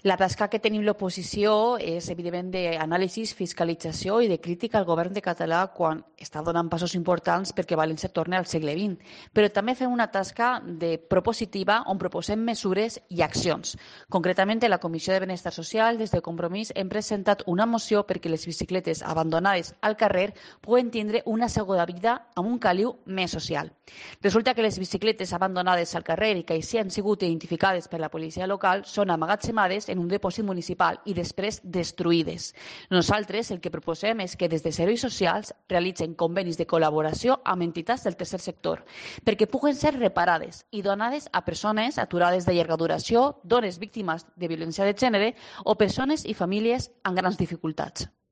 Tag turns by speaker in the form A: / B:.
A: La tasca que tenim l'oposició és, evidentment, d'anàlisi, fiscalització i de crítica al govern de català quan està donant passos importants perquè València torni al segle XX. Però també fem una tasca de propositiva on proposem mesures i accions. Concretament, a la Comissió de Benestar Social, des de Compromís, hem presentat una moció perquè les bicicletes abandonades al carrer puguen tindre una segona vida amb un caliu més social. Resulta que les bicicletes abandonades al carrer i que així han sigut identificades per la policia local són emmagatzemades en un dipòsit municipal i després destruïdes. Nosaltres el que proposem és que des de serveis socials realitzen convenis de col·laboració amb entitats del tercer sector perquè puguen ser reparades i donades a persones aturades de llarga duració, dones víctimes de violència de gènere o persones i famílies amb grans dificultats.